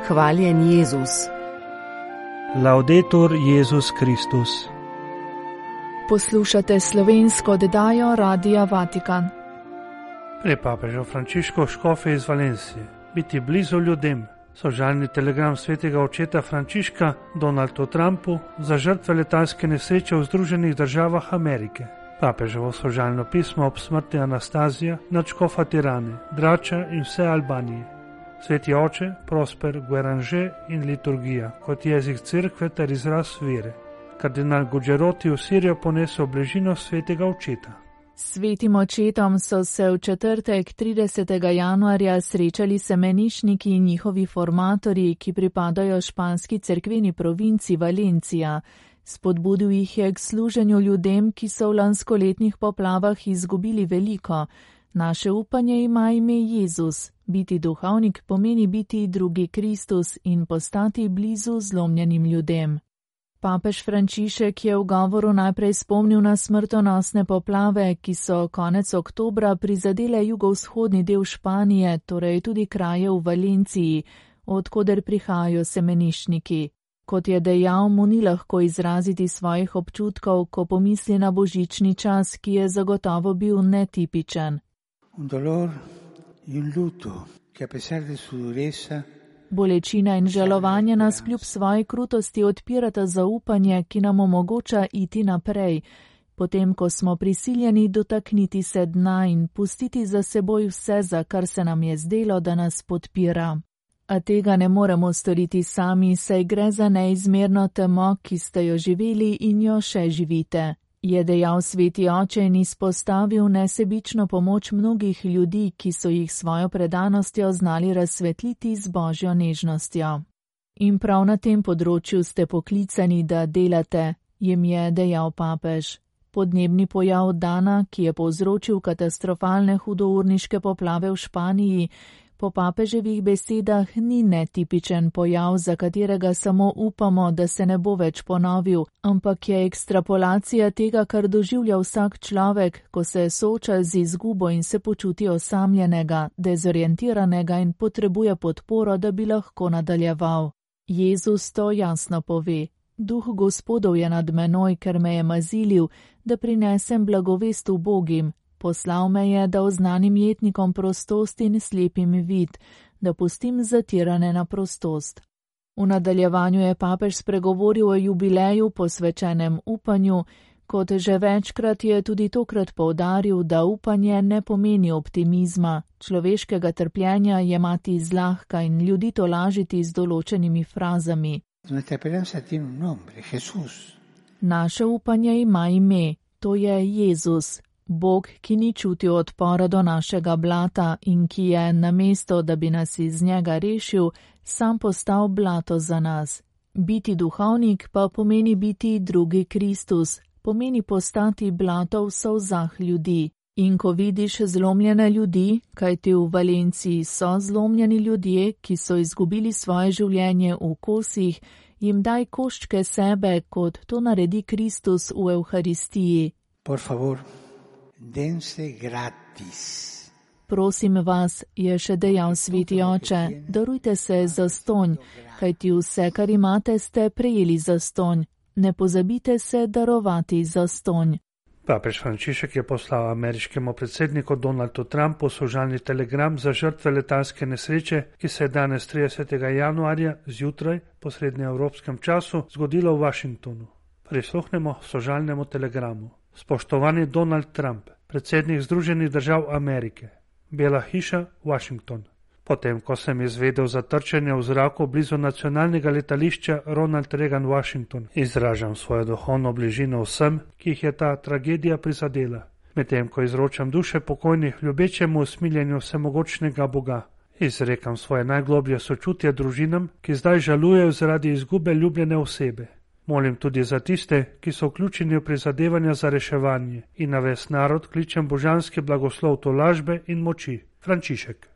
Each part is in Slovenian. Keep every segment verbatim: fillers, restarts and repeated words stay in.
Hvaljen Jezus. Laudetur Jezus Kristus. Poslušate slovensko oddajo Radia Vatikan. Pre papeža Frančiška škofe iz Valencije. Biti blizu ljudem. Sožalni telegram svetega očeta Frančiška Donaldu Trumpu za žrtve letalske nesreče v Združenih državah Amerike. Papeževo sožalno pismo ob smrti Anastazija, nadškofa Tirane, Drača in vse Albanije. Sveti oče, Prosper, Guéranger in liturgija kot jezik cerkve ter izraz vere. Kardinal Gugeroti v Sirijo ponesel bližino svetega očeta. Svetim očetom so se v četrtek tridesetega januarja srečali semenišniki in njihovi formatorji, ki pripadajo španski cerkveni provinci Valencija. Spodbudil jih je k služenju ljudem, ki so v lanskoletnih poplavah izgubili veliko. Naše upanje ima ime Jezus. Biti duhovnik pomeni biti drugi Kristus in postati blizu zlomljenim ljudem. Papež Frančišek je v govoru najprej spomnil na smrtonosne poplave, ki so konec oktobra prizadele jugovzhodni del Španije, torej tudi kraje v Valenciji, odkoder prihajajo semenišniki. Kot je dejal, mu ni lahko izraziti svojih občutkov, ko pomisli na božični čas, ki je zagotovo bil netipičen. Un dolor in luto, ki a pesar de su dureza, Bolečina in žalovanje nas kljub svoji krutosti odpirata zaupanje, ki nam omogoča iti naprej, potem ko smo prisiljeni dotakniti se dna in pustiti za seboj vse, za kar se nam je zdelo, da nas podpira. A tega ne moremo storiti sami, saj gre za neizmerno temo, ki ste jo živeli in jo še živite. Je dejal sveti oče in izpostavil nesebično pomoč mnogih ljudi, ki so jih svojo predanostjo znali razsvetliti z božjo nežnostjo. In prav na tem področju ste poklicani, da delate, jim je dejal papež. Podnebni pojav Dana, ki je povzročil katastrofalne hudourniške poplave v Španiji, po papeževih besedah ni netipičen pojav, za katerega samo upamo, da se ne bo več ponovil, ampak je ekstrapolacija tega, kar doživlja vsak človek, ko se sooča z izgubo in se počuti osamljenega, dezorientiranega in potrebuje podporo, da bi lahko nadaljeval. Jezus to jasno pove. Duh Gospodov je nad menoj, ker me je mazilil, da prinesem blagovest ubogim. Poslal me je, da oznanim jetnikom prostost in slepim vid, da pustim zatirane na prostost. V nadaljevanju je papež spregovoril o jubileju posvečenem upanju, kot že večkrat je tudi tokrat poudaril, da upanje ne pomeni optimizma, človeškega trpljenja jemati zlahka in ljudi tolažiti z določenimi frazami. Naše upanje ima ime, to je Jezus. Bog, ki ni čutil odpora do našega blata in ki je, namesto da bi nas iz njega rešil, sam postal blato za nas. Biti duhovnik pa pomeni biti drugi Kristus, pomeni postati blato v solzah ljudi. In ko vidiš zlomljene ljudi, kajti v Valenciji so zlomljeni ljudje, ki so izgubili svoje življenje v kosih, jim daj koščke sebe, kot to naredi Kristus v Evharistiji. Por favor, dense gratis. Prosim vas, je še dejal sveti oče, darujte se zastonj, kajti vse, kar imate, ste prejeli zastonj. Ne pozabite se darovati zastonj. Papež Frančišek je poslal ameriškemu predsedniku Donaldu Trumpu sožalni telegram za žrtve letalske nesreče, ki se je danes tridesetega januarja zjutraj po srednjeevropskem času zgodilo v Washingtonu. Prisluhnemo sožalnemu telegramu. Spoštovani Donald Trump, predsednik Združenih držav Amerike, Bela hiša, Washington. Potem, ko sem izvedel za trčenje v zraku blizu nacionalnega letališča Ronald Reagan Washington, izražam svojo duhovno bližino vsem, ki jih je ta tragedija prizadela. Medtem, ko izročam duše pokojnih ljubečemu usmiljenju vsemogočnega Boga, izrekam svoje najgloblje sočutje družinam, ki zdaj žalujejo zaradi izgube ljubljene osebe. Molim tudi za tiste, ki so vključeni v prizadevanja za reševanje in na ves narod kličem božanski blagoslov tolažbe in moči. Frančišek.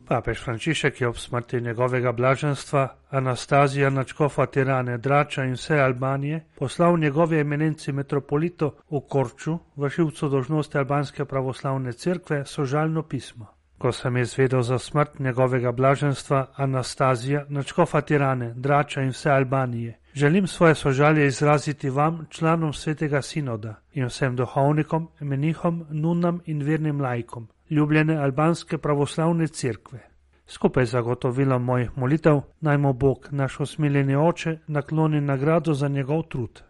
Papež Frančišek je ob smrti njegovega blaženstva Anastazija, nadškofa Tirane, Drača in vse Albanije poslal njegovi eminenci metropolitu v Korču, vršilcu dolžnosti albanske pravoslavne cerkve, sožalno pismo. Ko sem izvedel za smrt njegovega blaženstva Anastazija, nadškofa Tirane, Drača in vse Albanije, želim svoje sožalje izraziti vam, članom svetega sinoda in vsem duhovnikom, menihom, nunam in vernim laikom, ljubljene albanske pravoslavne cerkve. Skupaj z zagotovilom mojih molitev, naj mu Bog, naš usmiljeni oče, nakloni nagrado za njegov trud.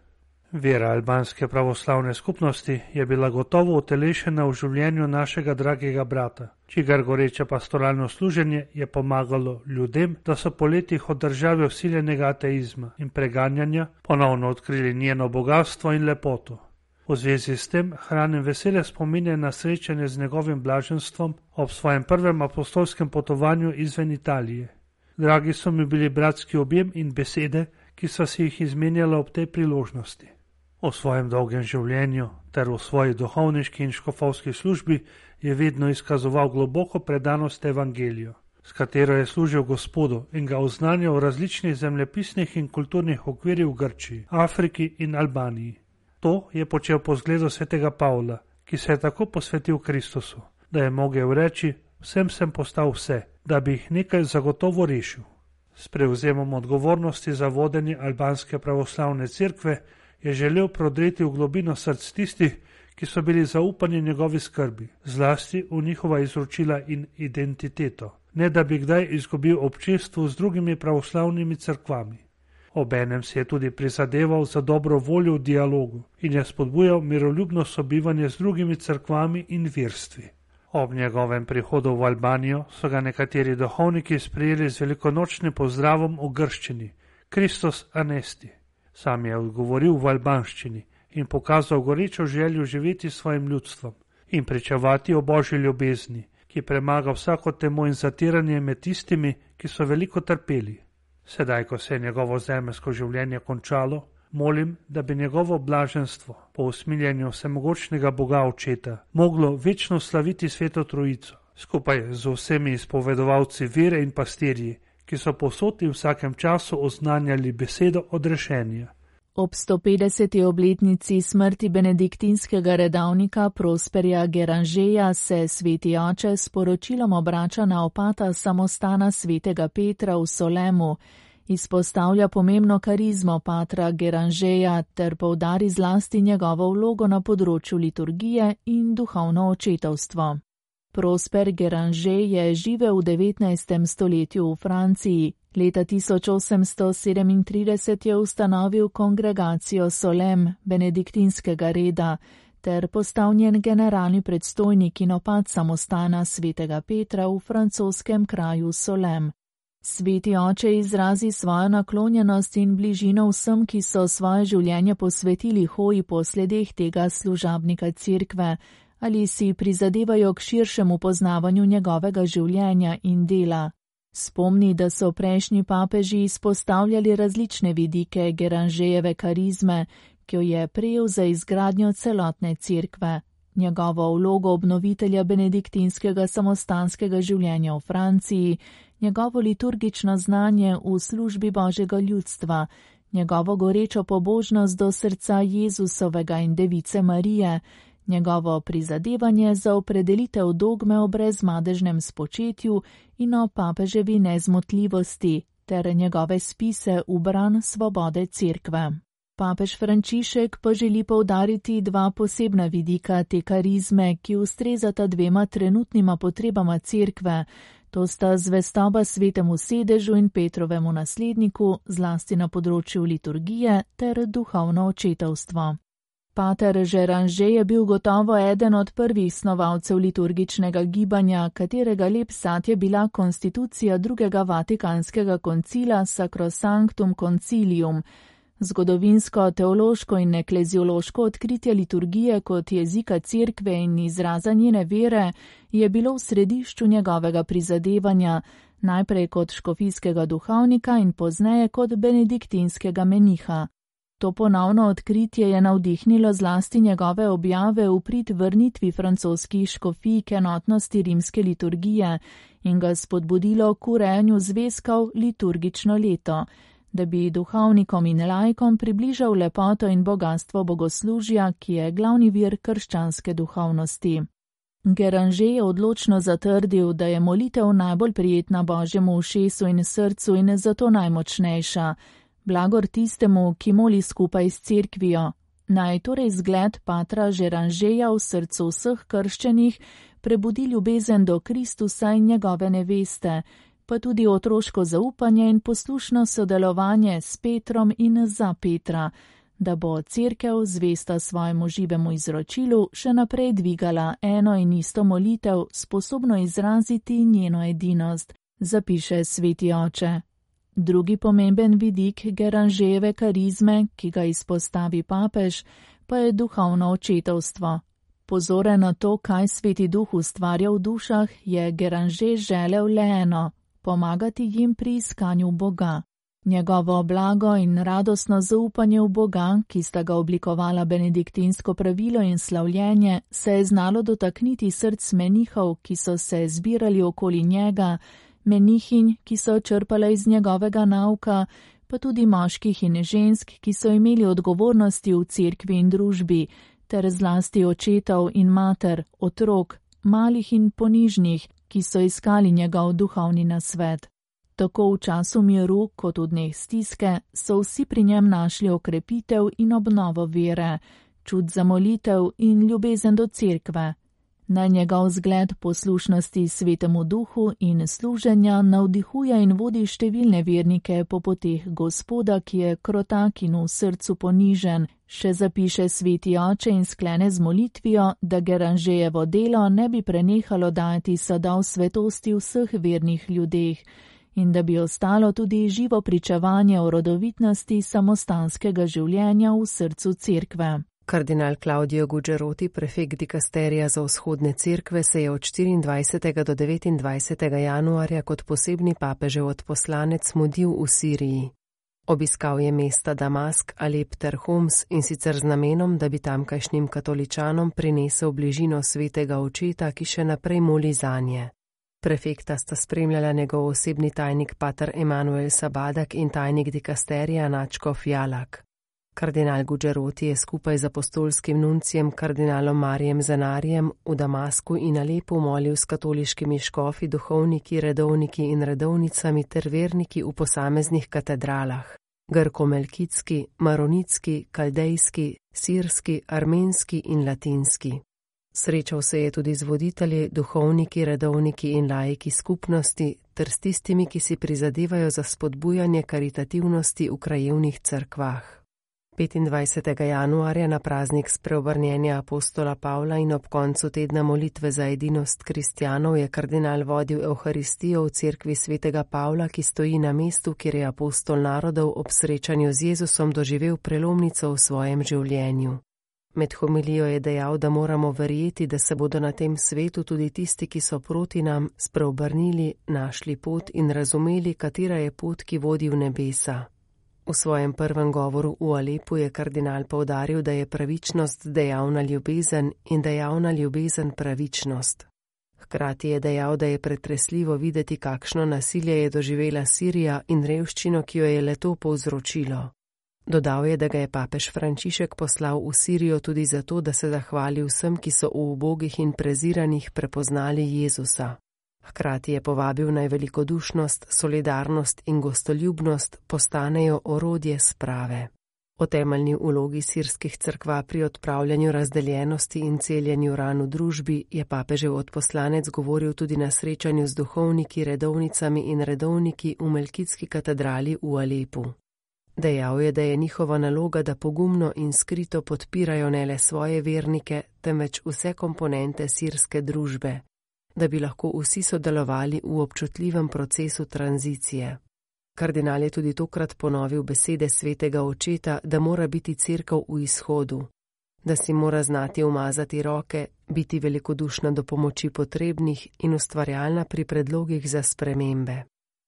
Vera albanske pravoslavne skupnosti je bila gotovo utelešena v življenju našega dragega brata, čigar goreče pastoralno služenje je pomagalo ljudem, da so po letih od države vsiljenega ateizma in preganjanja ponovno odkrili njeno bogatstvo in lepoto. V zvezi s tem hranim vesele spominje na srečanje z njegovim blaženstvom ob svojem prvem apostolskem potovanju izven Italije. Dragi so mi bili bratski objem in besede, ki so si jih izmenjala ob tej priložnosti. V svojem dolgem življenju ter v svoji duhovniški in škofovski službi je vedno izkazoval globoko predanost evangeliju, s katero je služil Gospodu in ga oznanjal v različnih zemljepisnih in kulturnih okvirih v Grčiji, Afriki in Albaniji. To je počel po zgledu svetega Pavla, ki se je tako posvetil Kristusu, da je mogel reči: vsem sem postal vse, da bi jih nekaj zagotovo rešil. S prevzemom odgovornosti za vodenje albanske pravoslavne cerkve je želel prodreti v globino src tistih, ki so bili zaupani njegovi skrbi, zlasti v njihova izročila in identiteto, ne da bi kdaj izgubil občestvo z drugimi pravoslavnimi cerkvami. Obenem si je tudi prizadeval za dobro voljo v dialogu in je spodbujal miroljubno sobivanje z drugimi cerkvami in verstvi. Ob njegovem prihodu v Albanijo so ga nekateri duhovniki sprejeli z velikonočnim pozdravom v grščini: Kristus anesti. Sam je odgovoril v albanščini in pokazal gorečo željo živeti s svojim ljudstvom in pričevati o Božji ljubezni, ki premaga vsako temo in zatiranje med tistimi, ki so veliko trpeli. Sedaj, ko se je njegovo zemeljsko življenje končalo, molim, da bi njegovo blaženstvo po usmiljenju vsemogočnega Boga Očeta moglo večno slaviti Sveto Trojico, skupaj z vsemi izpovedovalci vere in pastirji, ki so povsod in vsakem času oznanjali besedo odrešenja. Ob sto petdeseti obletnici smrti benediktinskega redavnika Prosperja Geranžeja se sveti oče s poročilom obrača na opata samostana svetega Petra v Solemu, izpostavlja pomembno karizmo patra Geranžeja ter poudari zlasti njegovo vlogo na področju liturgije in duhovno očetovstvo. Prosper Geranžej je živel v devetnajstem stoletju v Franciji. Leta tisoč osemsto sedemintrideset je ustanovil kongregacijo Solem benediktinskega reda ter postal njen generalni predstojnik in opat samostana svetega Petra v francoskem kraju Solem. Sveti oče izrazi svojo naklonjenost in bližino vsem, ki so svoje življenje posvetili hoji po sledeh tega služabnika cerkve ali si prizadevajo k širšemu poznavanju njegovega življenja in dela. Spomni, da so prejšnji papeži izpostavljali različne vidike Geranžejeve karizme, ki jo je prejel za izgradnjo celotne cerkve. Njegovo vlogo obnovitelja benediktinskega samostanskega življenja v Franciji, njegovo liturgično znanje v službi Božjega ljudstva, njegovo gorečo pobožnost do srca Jezusovega in Device Marije, njegovo prizadevanje za opredelitev dogme o brezmadežnem spočetju in o papeževi nezmotljivosti ter njegove spise v bran svobode cerkve. Papež Frančišek pa želi poudariti dva posebna vidika te karizme, ki ustrezata dvema trenutnima potrebama cerkve, to sta zvestoba svetemu sedežu in Petrovemu nasledniku, zlasti na področju liturgije ter duhovno očetovstvo. Pater Geranžej je bil gotovo eden od prvih snovalcev liturgičnega gibanja, katerega lep sad je bila konstitucija drugega vatikanskega koncila Sacrosanctum Concilium, zgodovinsko, teološko in ekleziološko odkritje liturgije kot jezika cerkve in izraza njene vere je bilo v središču njegovega prizadevanja, najprej kot škofijskega duhovnika in pozneje kot benediktinskega meniha. To ponovno odkritje je navdihnilo zlasti njegove objave v prid vrnitvi francoskih škofij k enotnosti rimske liturgije in ga spodbudilo k urejanju zvezkov liturgično leto, da bi duhovnikom in laikom približal lepoto in bogatstvo bogoslužja, ki je glavni vir krščanske duhovnosti. Geranger je odločno zatrdil, da je molitev najbolj prijetna Božjemu ušesu in srcu in zato najmočnejša. Blagor tistemu, ki moli skupaj s cerkvijo. Naj torej zgled patra Gerangerja v srcu vseh krščenih prebudi ljubezen do Kristusa in njegove neveste, pa tudi otroško zaupanje in poslušno sodelovanje s Petrom in za Petra, da bo cerkev zvesta svojemu živemu izročilu še naprej dvigala eno in isto molitev, sposobno izraziti njeno edinost, zapiše sveti oče. Drugi pomemben vidik Gerangerjeve karizme, ki ga izpostavi papež, pa je duhovno očetovstvo. Pozoren na to, kaj sveti duh ustvarja v dušah, je Geranger želel le eno – pomagati jim pri iskanju Boga. Njegovo blago in radostno zaupanje v Boga, ki sta ga oblikovala benediktinsko pravilo in slavljenje, se je znalo dotakniti src menihov, ki so se zbirali okoli njega, menihinj, ki so črpale iz njegovega nauka, pa tudi moških in žensk, ki so imeli odgovornosti v cerkvi in družbi, ter zlasti očetov in mater, otrok, malih in ponižnih, ki so iskali njegov duhovni nasvet. Tako v času miru, kot v dneh stiske, so vsi pri njem našli okrepitev in obnovo vere, čut za molitev in ljubezen do cerkve. Naj njegov zgled poslušnosti svetemu duhu in služenja navdihuje in vodi številne vernike po poteh Gospoda, ki je krotak in v srcu ponižen, še zapiše sveti oče in sklene z molitvijo, da Gerangerjevo delo ne bi prenehalo dajati sadov svetosti vseh vernih ljudeh in da bi ostalo tudi živo pričevanje o rodovitnosti samostanskega življenja v srcu cerkve. Kardinal Claudio Gugeroti, prefekt dikasterija za vzhodne cerkve, se je od štiriindvajsetega do devetindvajsetega januarja kot posebni papežev odposlanec mudil v Siriji. Obiskal je mesta Damask, Alep ter Homs in sicer z namenom, da bi tamkajšnjim katoličanom prinesel bližino svetega očeta, ki še naprej moli zanje. Prefekta sta spremljala njegov osebni tajnik pater Emanuel Sabadak in tajnik dikasterija Načko Fjalak. Kardinal Gugeroti je skupaj z apostolskim nuncijem kardinalom Marijem Zanarijem v Damasku in Alepu molil s katoliškimi škofi, duhovniki, redovniki in redovnicami ter verniki v posameznih katedralah. Grko-melkitski, maronitski, kaldejski, sirski, armenski in latinski. Srečal se je tudi z voditelji, duhovniki, redovniki in laiki skupnosti ter s tistimi, ki si prizadevajo za spodbujanje karitativnosti v krajevnih cerkvah. petindvajsetega januarja na praznik spreobrnjenja apostola Pavla in ob koncu tedna molitve za edinost kristjanov je kardinal vodil Evharistijo v cerkvi svetega Pavla, ki stoji na mestu, kjer je apostol narodov ob srečanju z Jezusom doživel prelomnico v svojem življenju. Med homilijo je dejal, da moramo verjeti, da se bodo na tem svetu tudi tisti, ki so proti nam, spreobrnili, našli pot in razumeli, katera je pot, ki vodi v nebesa. V svojem prvem govoru v Alepu je kardinal poudaril, da je pravičnost dejavna ljubezen in dejavna ljubezen pravičnost. Hkrati je dejal, da je pretresljivo videti, kakšno nasilje je doživela Sirija in revščino, ki jo je le-to povzročilo. Dodal je, da ga je papež Frančišek poslal v Sirijo tudi zato, da se zahvali vsem, ki so v ubogih in preziranih prepoznali Jezusa. Hkrati je povabil naj velikodušnost, solidarnost in gostoljubnost postanejo orodje sprave. O temeljni vlogi sirskih cerkva pri odpravljanju razdeljenosti in celjenju ran v družbi je papežev odposlanec govoril tudi na srečanju z duhovniki, redovnicami in redovniki v Melkitski katedrali v Alepu. Dejal je, da je njihova naloga, da pogumno in skrito podpirajo ne le svoje vernike, temveč vse komponente sirske družbe, da bi lahko vsi sodelovali v občutljivem procesu tranzicije. Kardinal je tudi tokrat ponovil besede svetega očeta, da mora biti cerkev v izhodu, da si mora znati umazati roke, biti velikodušna do pomoči potrebnih in ustvarjalna pri predlogih za spremembe.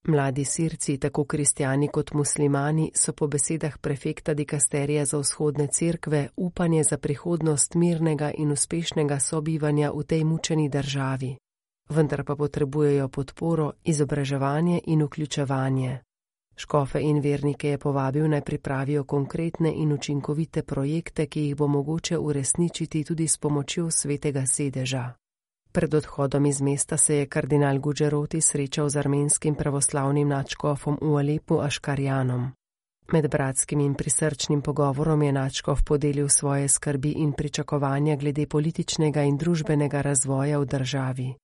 Mladi Sirci, tako kristjani kot muslimani, so po besedah prefekta dikasterija za vzhodne cerkve upanje za prihodnost mirnega in uspešnega sobivanja v tej mučeni državi. Vendar pa potrebujejo podporo, izobraževanje in vključevanje. Škofe in vernike je povabil naj pripravijo konkretne in učinkovite projekte, ki jih bo mogoče uresničiti tudi s pomočjo svetega sedeža. Pred odhodom iz mesta se je kardinal Gugeroti srečal z armenskim pravoslavnim nadškofom v Alepu Aškarjanom. Med bratskim in prisrčnim pogovorom je nadškof podelil svoje skrbi in pričakovanja glede političnega in družbenega razvoja v državi.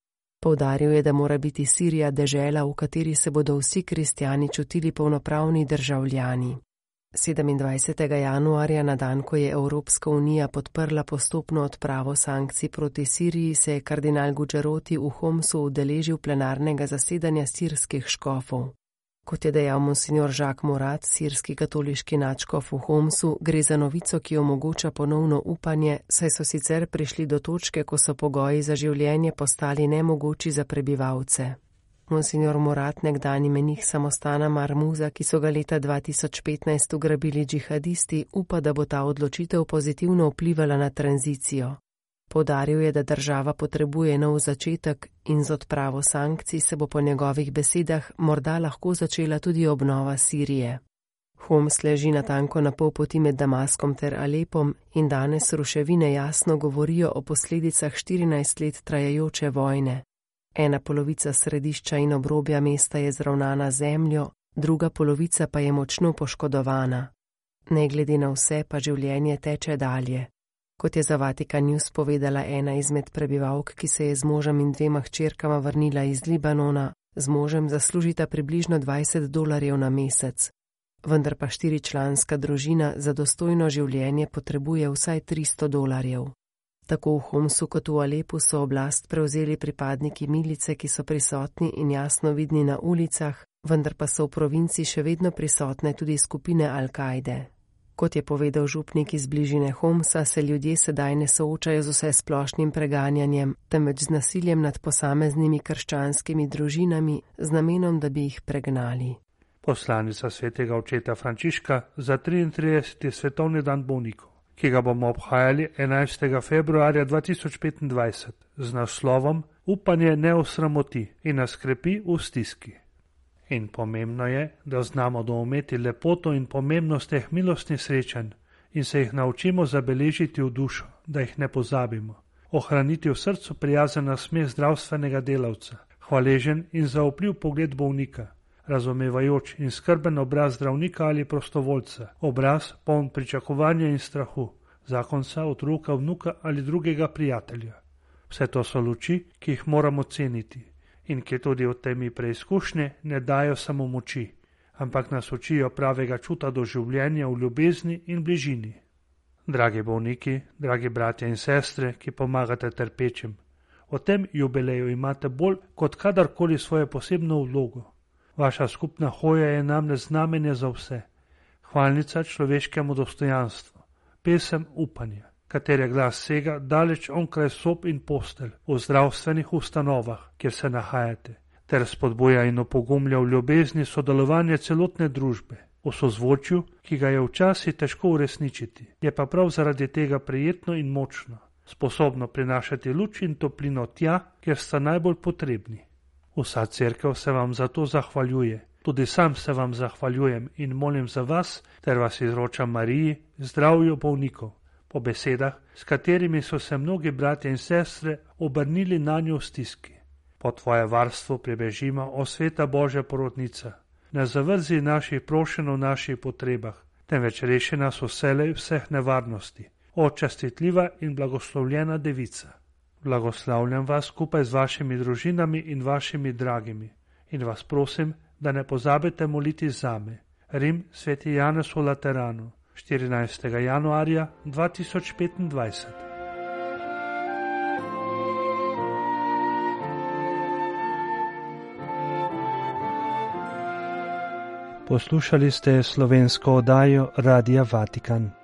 Poudaril je, da mora biti Sirija dežela, v kateri se bodo vsi kristjani čutili polnopravni državljani. sedemindvajsetega januarja, na dan, ko je Evropska unija podprla postopno odpravo sankcij proti Siriji, se je kardinal Gugeroti v Homsu udeležil plenarnega zasedanja sirskih škofov. Kot je dejal monsignor Jacques Morat, sirski katoliški nadškof v Homsu, gre za novico, ki omogoča ponovno upanje, saj so sicer prišli do točke, ko so pogoji za življenje postali nemogoči za prebivalce. Monsignor Morat, nekdani menih samostana Marmuza, ki so ga leta dva tisoč petnajst ugrabili džihadisti, upa, da bo ta odločitev pozitivno vplivala na tranzicijo. Poudaril je, da država potrebuje nov začetek in z odpravo sankcij se bo po njegovih besedah morda lahko začela tudi obnova Sirije. Homs leži natanko na pol poti med Damaskom ter Alepom in danes ruševine jasno govorijo o posledicah štirinajst let trajajoče vojne. Ena polovica središča in obrobja mesta je zravnana zemljo, druga polovica pa je močno poškodovana. Ne glede na vse pa življenje teče dalje. Kot je za Vatikan News povedala ena izmed prebivalk, ki se je z možem in dvema hčerkama vrnila iz Libanona, z možem zaslužita približno dvajset dolarjev na mesec. Vendar pa štiričlanska družina za dostojno življenje potrebuje vsaj tristo dolarjev. Tako v Homsu kot v Alepu so oblast prevzeli pripadniki milice, ki so prisotni in jasno vidni na ulicah, vendar pa so v provinci še vedno prisotne tudi skupine Al-Kaide. Kot je povedal župnik iz bližine Homsa, se ljudje sedaj ne soočajo z vse splošnim preganjanjem, temveč z nasiljem nad posameznimi krščanskimi družinami z namenom, da bi jih pregnali. Poslanica svetega očeta Frančiška za triintrideseti svetovni dan bolnikov, ki ga bomo obhajali enajstega februarja dva tisoč petindvajset z naslovom Upanje ne osramoti in nas krepi v stiski. In pomembno je, da znamo doumeti lepoto in pomembnost teh milostnih srečanj in se jih naučimo zabeležiti v dušo, da jih ne pozabimo, ohraniti v srcu prijazen nasmeh zdravstvenega delavca, hvaležen in zaupljiv pogled bolnika, razumevajoč in skrben obraz zdravnika ali prostovoljca, obraz poln pričakovanja in strahu, zakonca, otroka, vnuka ali drugega prijatelja. Vse to so luči, ki jih moramo ceniti in ki tudi v temi preizkušnje ne dajo samo moči, ampak nas učijo pravega čuta do življenja v ljubezni in bližini. Dragi bolniki, dragi bratje in sestre, ki pomagate trpečim, v tem jubileju imate bolj kot kadarkoli svojo posebno vlogo. Vaša skupna hoja je namreč znamenje za vse, hvalnica človeškemu dostojanstvu, pesem upanja, katere glas sega daleč onkraj sob in postelj v zdravstvenih ustanovah, kjer se nahajate, ter spodbuja in opogumlja v ljubezni sodelovanje celotne družbe, v sozvočju, ki ga je včasih težko uresničiti, je pa prav zaradi tega prijetno in močno, sposobno prinašati luč in toplino tja, kjer sta najbolj potrebni. Vsa cerkev se vam za to zahvaljuje, tudi sam se vam zahvaljujem in molim za vas, ter vas izročam Mariji, zdravju bolnikov, po besedah, s katerimi so se mnogi bratje in sestre obrnili na njo v stiski. Po tvoje varstvo pribežimo, o sveta Božja porodnica, ne zavrzi naših prošenj o naših potrebah, temveč reši nas vselej vseh nevarnosti, o častitljiva in blagoslovljena devica. Blagoslavljam vas skupaj z vašimi družinami in vašimi dragimi in vas prosim, da ne pozabite moliti zame. Rim, sveti Janez v Lateranu, štirinajstega januarja dva tisoč petindvajset. Poslušali ste slovensko oddajo Radia Vatikan.